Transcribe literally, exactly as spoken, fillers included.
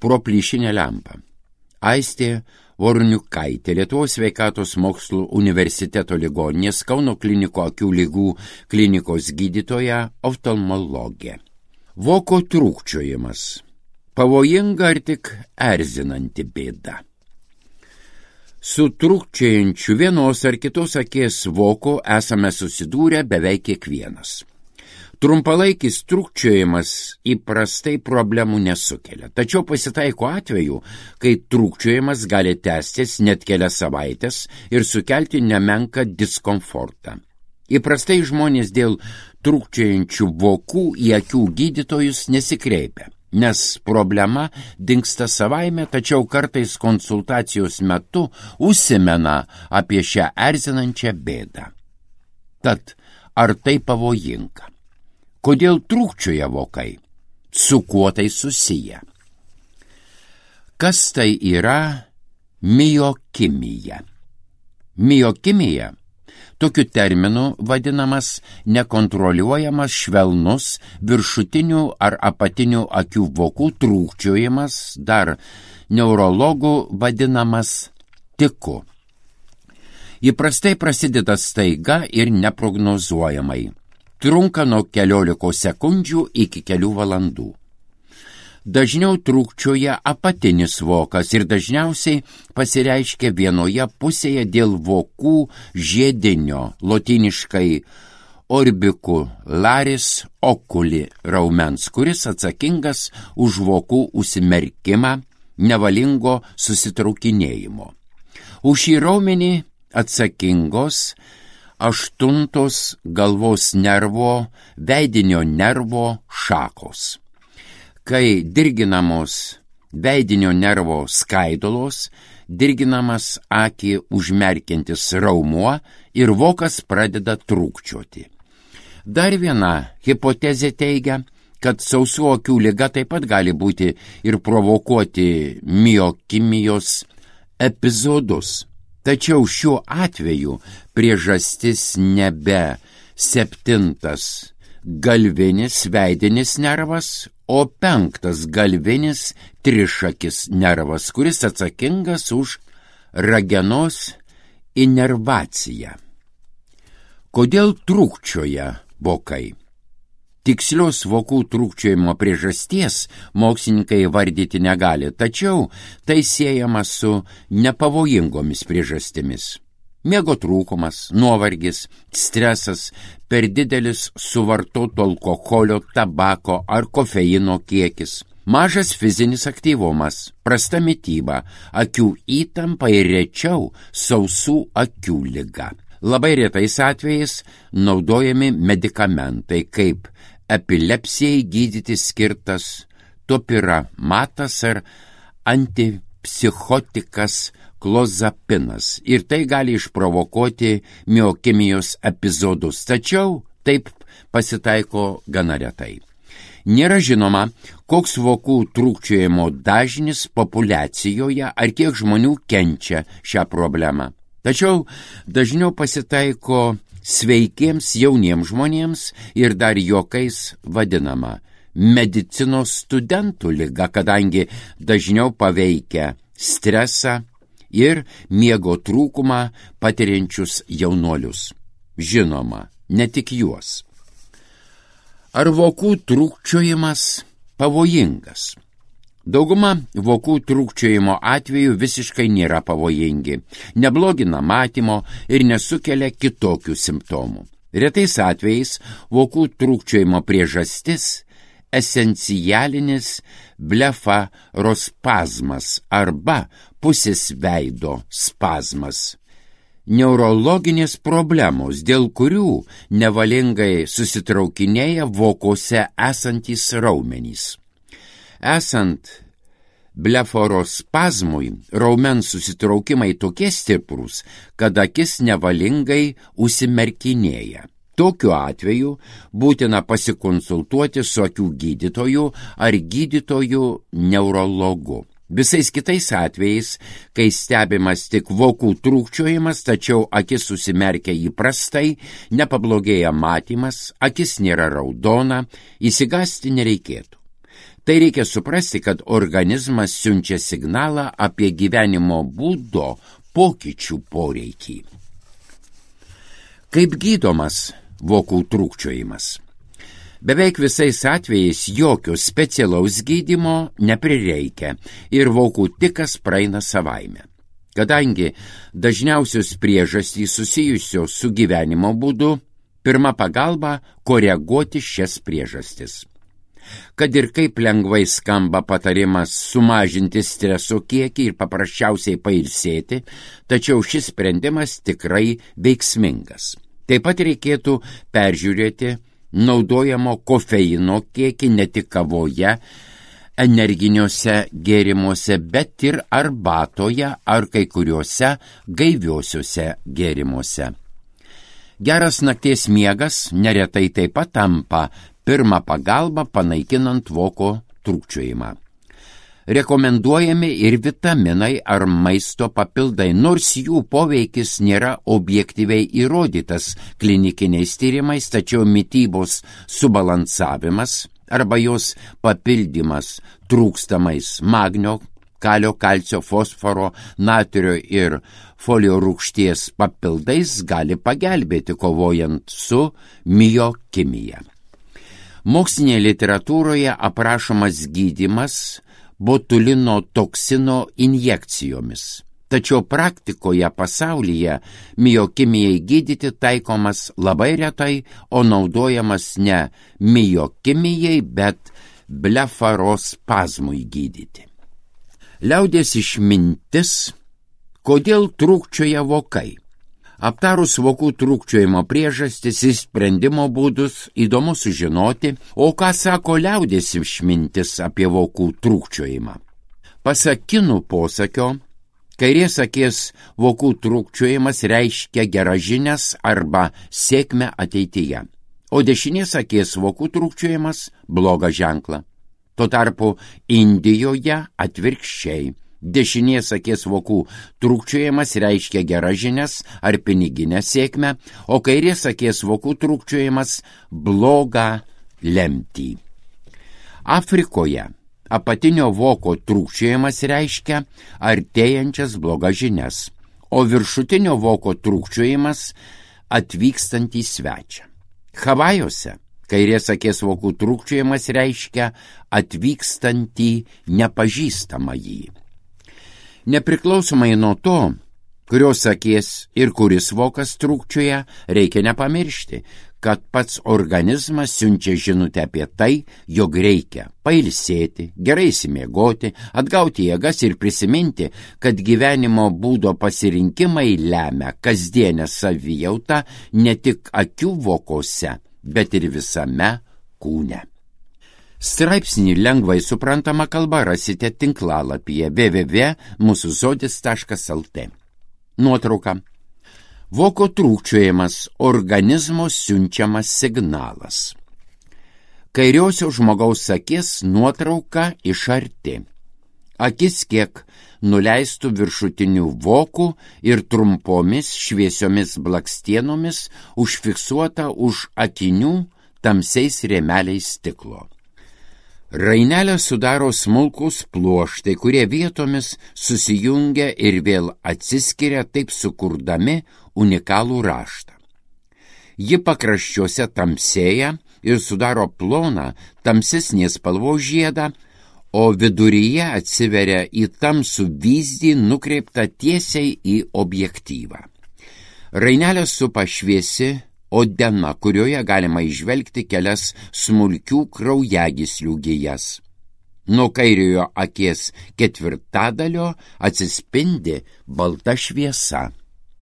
pro plyšinę lempą. Aistė Vorniukaitė, Lietuvos sveikatos mokslų universiteto ligoninės Kauno kliniko akių ligų klinikos gydytoja, oftalmologė. Voko trūkčiojimas. Pavojinga ar tik erzinanti bėda? Su trūkčiojančiu vienos ar kitos akies voku esame susidūrę beveik kiekvienas. Trumpalaikis trūkčiojimas įprastai problemų nesukelia, tačiau pasitaiko atveju, kai trūkčiojimas gali tęstis net kelias savaitės ir sukelti nemenką diskomfortą. Įprastai žmonės dėl trūkčiojančių vokų į akių gydytojus nesikreipia, nes problema dingsta savaime, tačiau kartais konsultacijos metu užsimena apie šią erzinančią bėdą. Tad, ar tai pavojinga? Kodėl trūkčioja vokai? Su kuo tai susiję? Kas tai yra miokimija? Miokimija tokiu terminu vadinamas nekontroliuojamas švelnus viršutinių ar apatinių akių vokų trūkčiojimas, dar neurologų vadinamas tiku. Įprastai prasideda staiga ir neprognozuojamai. Trunka nuo keliolikos sekundžių iki kelių valandų. Dažniau trūkčioja apatinis vokas ir dažniausiai pasireiškia vienoje pusėje dėl vokų žiedinio, lotyniškai orbicularis oculi raumens, kuris atsakingas už vokų užsimerkimą, nevalingo susitraukinėjimo. Už šį raumenį atsakingos aštuntos galvos nervo, veidinio nervo šakos. Kai dirginamos veidinio nervo skaidulos, dirginamas akį užmerkiantis raumuo ir vokas pradeda trūkčioti. Dar viena hipotezė teigia, kad sausų akių liga taip pat gali būti ir provokuoti miokimijos epizodus. Tačiau šiuo atveju priežastis nebe septintas galvinis veidinis nervas, o penktas galvinis trišakis nervas, kuris atsakingas už ragenos inervaciją. Kodėl trūkčioja vokai? Tikslios vokų trūkčiojimo priežasties mokslininkai vardyti negali, tačiau tai siejama su nepavojingomis priežastimis. Miego trūkumas, nuovargis, stresas, per didelis suvartoto alkoholio, tabako ar kofeino kiekis, mažas fizinis aktyvumas, prasta mityba, akių įtampa ir rečiau sausų akių liga. Labai retais atvejais naudojami medikamentai kaip epilepsijai gydyti skirtas topiramatas ar antipsichotikas klozapinas ir tai gali išprovokuoti miokimijos epizodus, tačiau taip pasitaiko gana retai. Nėra žinoma, koks vokų trūkčiojimo dažnis populiacijoje ar kiek žmonių kenčia šią problemą. Tačiau dažniau pasitaiko sveikiems jauniems žmonėms ir dar juokais vadinama medicinos studentų liga, kadangi dažniau paveikia stresą ir miego trūkumą patiriančius jaunuolius. Žinoma, ne tik juos. Ar vokų trūkčiojimas pavojingas? Dauguma vokų trūkčiojimo atveju visiškai nėra pavojingi, neblogina matymo ir nesukelia kitokių simptomų. Retais atvejais vokų trūkčiojimo priežastis esencialinis blefarospazmas arba pusės veido spazmas. Neurologinės problemos, dėl kurių nevalingai susitraukinėja vokuose esantys raumenys. Esant blefarospazmui, raumens susitraukimai tokie stiprūs, kad akis nevalingai užsimerkinėja. Tokiu atveju būtina pasikonsultuoti su akių gydytoju ar gydytoju neurologu. Visais kitais atvejais, kai stebimas tik vokų trūkčiojimas, tačiau akis susimerkia įprastai, nepablogėja matymas, akis nėra raudona, įsigąsti nereikėtų. Tai reikia suprasti, kad organizmas siunčia signalą apie gyvenimo būdo pokyčių poreikį. Kaip gydomas vokų trūkčiojimas? Beveik visais atvejais jokio specialaus gydymo neprireikia ir vokų tikas praeina savaime. Kadangi dažniausios priežastys susijusios su gyvenimo būdu, pirma pagalba koreguoti šias priežastis. Kad ir kaip lengvai skamba patarimas sumažinti streso kiekį ir paprasčiausiai pailsėti, tačiau šis sprendimas tikrai veiksmingas. Taip pat reikėtų peržiūrėti naudojamo kofeino kiekį ne tik kavoje, energiniuose gėrimuose, bet ir arbatoje ar kai kuriuose gaiviuosiuose gėrimuose. Geras nakties miegas neretai taip pat tampa pirmą pagalbą panaikinant voko trūkčiojimą. Rekomenduojami ir vitaminai ar maisto papildai, nors jų poveikis nėra objektyviai įrodytas klinikiniais tyrimais, tačiau mitybos subalansavimas arba jos papildymas trūkstamais magnio, kalio, kalcio, fosforo, natrio ir folio rūgšties papildais gali pagelbėti kovojant su miokimija. Mokslinėje literatūroje aprašomas gydymas botulino toksino injekcijomis. Tačiau praktikoje pasaulyje miokimijai gydyti taikomas labai retai, o naudojamas ne miokimijai, bet blefarospazmui gydyti. Liaudies išmintis, kodėl trūkčioja vokai. Aptarus vokų trūkčiojimo priežastis ir sprendimo būdus, įdomu sužinoti, o ką sako liaudies išmintis apie vokų trūkčiojimą. Pasak kinų posakio, kairės akies vokų trūkčiojimas reiškia geras žinias arba sėkmę ateityje, o dešinės akies vokų trūkčiojimas blogą ženklą. Tuo tarpu Indijoje atvirkščiai. Dešinės akies vokų trūkčiojimas reiškia geras žinias ar piniginę sėkmę, o kairės akies vokų trūkčiojimas blogą lemtį. Afrikoje apatinio voko trūkčiojimas reiškia artėjančias blogas žinias, o viršutinio voko trūkčiojimas atvykstantį svečią. Havajuose kairės akies vokų trūkčiojimas reiškia atvykstantį nepažįstamąjį. Nepriklausomai nuo to, kurios akies ir kuris vokas trūkčioja, reikia nepamiršti, kad pats organizmas siunčia žinutę apie tai, jog reikia pailsėti, gerai išsimiegoti, atgauti jėgas ir prisiminti, kad gyvenimo būdo pasirinkimai lemia kasdienę savijautą ne tik akių vokose, bet ir visame kūne. Straipsnį lengvai suprantama kalba rasite tinklalapyje w w w taškas mūsų žodis taškas l t. Nuotrauka. Voko trūkčiojimas – organizmo siunčiamas signalas. Kairiosios žmogaus akis nuotrauka iš arti. Akis kiek nuleistų viršutinių vokų ir trumpomis šviesiomis blakstienomis užfiksuota už akinių tamsiais rėmeliais stiklo. Rainelę sudaro smulkūs pluoštai, kurie vietomis susijungia ir vėl atsiskiria, taip sukurdami unikalų raštą. Ji pakraščiuose tamsėja ir sudaro ploną tamsesnės spalvos žiedą, o viduryje atsiveria į tamsų vyzdį nukreiptą tiesiai į objektyvą. Rainelę supa šviesi odena, kurioje galima įžvelgti kelias smulkių kraujagyslių gijas. Nuo kairiojo akies ketvirtadalio atsispindi balta šviesa.